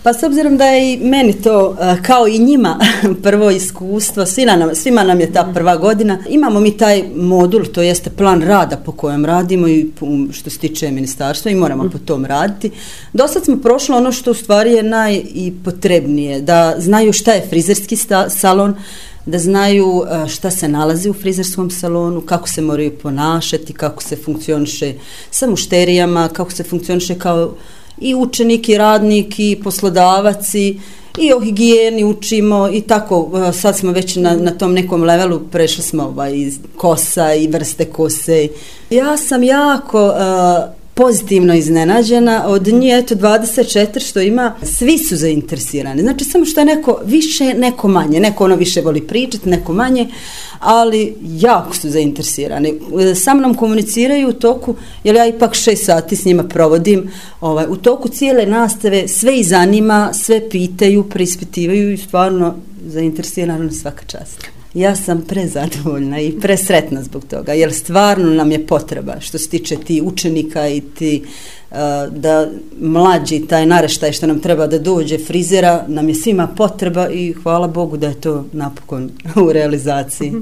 Pa s obzirom da je i meni to, kao i njima, prvo iskustvo, svima nam je ta prva godina, imamo mi taj modul, to jeste plan rada po kojem radimo i što se tiče ministarstva i moramo po tom raditi. Do sad smo prošli ono što u stvari je najpotrebnije, da znaju šta je frizerski salon, da znaju šta se nalazi u frizerskom salonu, kako se moraju ponašati, kako se funkcioniše sa mušterijama, kako se funkcioniše kao i učenik i radnik i poslodavac i o higijeni učimo i tako, sad smo već na tom nekom levelu, prešli smo iz kosa i vrste kose. Ja sam jako pozitivno iznenađena od njih, 24 što ima, svi su zainteresirani. Znači samo što je neko više, neko manje. Neko više voli pričati, neko manje, ali jako su zainteresirani. Sa mnom komuniciraju u toku, jer ja ipak 6 sati s njima provodim, u toku cijele nastave sve ih zanima, sve pitaju, preispitivaju i stvarno zainteresirani svaka čast. Ja sam prezadovoljna i presretna zbog toga, jer stvarno nam je potreba što se tiče ti učenika i ti da mlađi taj naraštaj što nam treba da dođe frizera, nam je svima potreba i hvala Bogu da je to napokon u realizaciji.